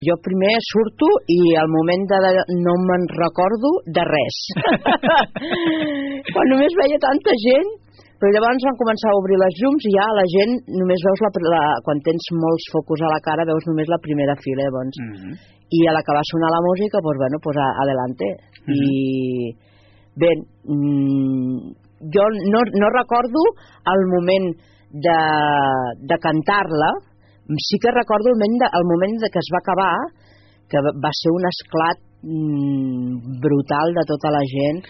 Jo primer surto i al moment no me'n recordo de res. Quan només veia tanta gent, però llavors van començar a obrir les llums i ja la gent només veus quan tens molts focus a la cara veus només la primera fila, llavors. I a la que va sonar la música, pues bueno, pues adelante. I bé, jo no recordo el moment de cantar-la. Sí que recordo el moment que es va acabar, que va ser un esclat brutal de tota la gent.